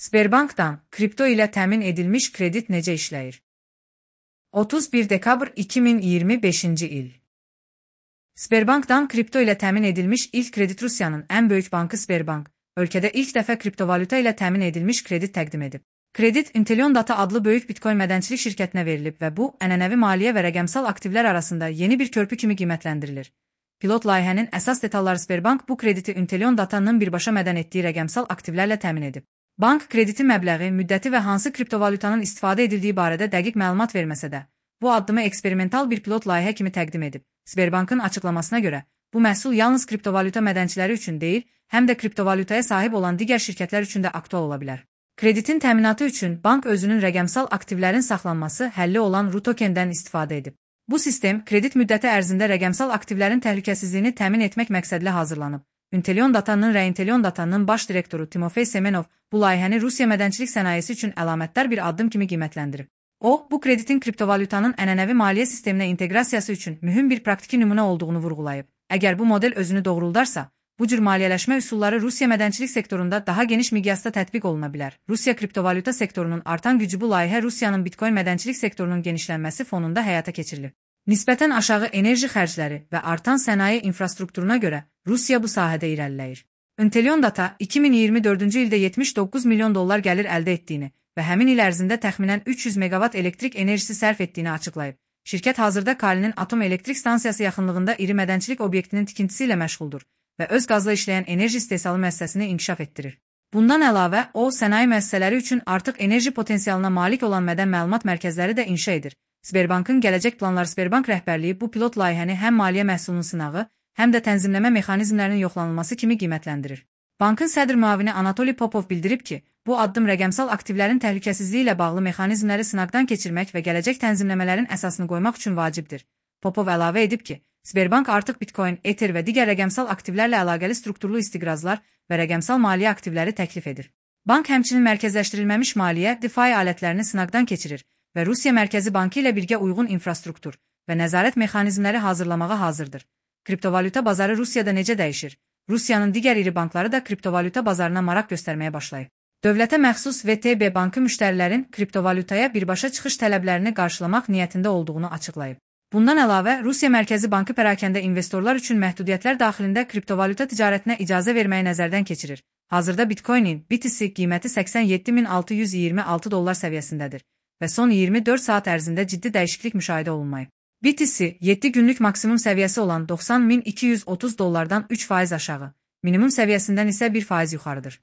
Sberbankdan kripto ilə təmin edilmiş kredit necə işləyir? 31 dekabr 2025-ci il. Sberbankdan kripto ilə təmin edilmiş ilk kredit Rusiyanın ən böyük bankı Sberbank, ölkədə ilk dəfə kriptovalyuta ilə təmin edilmiş kredit təqdim edib. Kredit Intelion Data adlı böyük bitcoin mədənçilik şirkətinə verilib və bu, ənənəvi maliyyə və rəqəmsal aktivlər arasında yeni bir körpü kimi qiymətləndirilir. Pilot layihənin əsas detalları Sberbank bu krediti Intelion Data'nın birbaşa mədən etdiyi rəqəmsal aktivlərlə təmin edib. Bank kreditin məbləği, müddəti və hansı kriptovalyutanın istifadə edildiyi barədə dəqiq məlumat verməsə də, bu addımı eksperimental bir pilot layihə kimi təqdim edib. Sberbankın açıqlamasına görə, bu məhsul yalnız kriptovalyuta mədənçiləri üçün deyil, həm də kriptovalyutaya sahib olan digər şirkətlər üçün də aktual ola bilər. Kreditin təminatı üçün bank özünün rəqəmsal aktivlərin saxlanması həlli olan RUTOKEN-dən istifadə edib. Bu sistem kredit müddəti ərzində rəqəmsal aktivlərin təhlükəsizliyini təmin etmək məqsədlə hazırlanıb. Intelion Data'nın baş direktoru Timofey Semenov bu layihəni Rusiya mədənçilik sənayesi üçün əlamətdar bir addım kimi qiymətləndirib. O, bu kreditin kriptovalyutanın ənənəvi maliyyə sisteminə inteqrasiyası üçün mühüm bir praktiki nümunə olduğunu vurğulayıb. Əgər bu model özünü doğruldarsa, bu cür maliyyələşmə üsulları Rusiya mədənçilik sektorunda daha geniş miqyasda tətbiq oluna bilər. Rusiya kriptovalyuta sektorunun artan gücü bu layihə Rusiyanın bitcoin mədənçilik sektorunun genişlənməsi fonunda həyata keçirilib. Nisbətən aşağı enerji xərcləri və artan sənaye infrastrukturuna görə Rusiya bu sahədə irəliləyir. Intelion Data 2024-cü ildə $79 milyon gəlir əldə etdiyini və həmin il ərzində təxminən 300 meqavat elektrik enerjisi sərf etdiyini açıqlayıb. Şirkət hazırda Kalinin atom elektrik stansiyası yaxınlığında iri mədənçilik obyektinin tikintisi ilə məşğuldur və öz qazla işləyən enerji istehsalı müəssisəsini inkişaf etdirir. Bundan əlavə, o, sənaye müəssisələri üçün artıq enerji potensialına malik olan mədən məlumat mərkəzləri də inşa edir. Sberbankın gələcək planları Sberbank rəhbərliyi bu pilot layihəni həm maliyyə məhsulunun sınağı, həm də tənzimləmə mexanizmlərinin yoxlanılması kimi qiymətləndirir. Bankın sədr müavini Anatoliy Popov bildirib ki, bu addım rəqəmsal aktivlərin təhlükəsizliyi ilə bağlı mexanizmləri sınaqdan keçirmək və gələcək tənzimləmələrin əsasını qoymaq üçün vacibdir. Popov əlavə edib ki, Sberbank artıq bitcoin, ether və digər rəqəmsal aktivlərlə əlaqəli strukturlu istiqrazlar və rəqəmsal maliyyə aktivləri təklif edir. Bank həmçinin mərkəzləşdirilməmiş maliyyə, DeFi alətlərini sınaqdan keçirir və Rusiya Mərkəzi Bankı ilə birgə uyğun infrastruktur və nəzarət mexanizmləri hazırlamağa hazırdır. Kriptovalyuta bazarı Rusiyada necə dəyişir? Rusiyanın digər iri bankları da kriptovalyuta bazarına maraq göstərməyə başlayıb. Dövlətə məxsus VTB bankı müştərilərin kriptovalyutaya birbaşa çıxış tələblərini qarşılamaq niyyətində olduğunu açıqlayıb. Bundan əlavə, Rusiya Mərkəzi Bankı pərakəndə investorlar üçün məhdudiyyətlər daxilində kriptovalyuta ticarətinə icazə verməyi nəzərdən keçirir. Hazırda Bitcoin-in BTC qiyməti $87.626 səviyyəsindədir və son 24 saat ərzində ciddi dəyişiklik müşahidə olunmayıb. BTC 7 günlük maksimum səviyyəsi olan $90.230-dan 3% aşağı, minimum səviyyəsindən isə 1% yuxarıdır.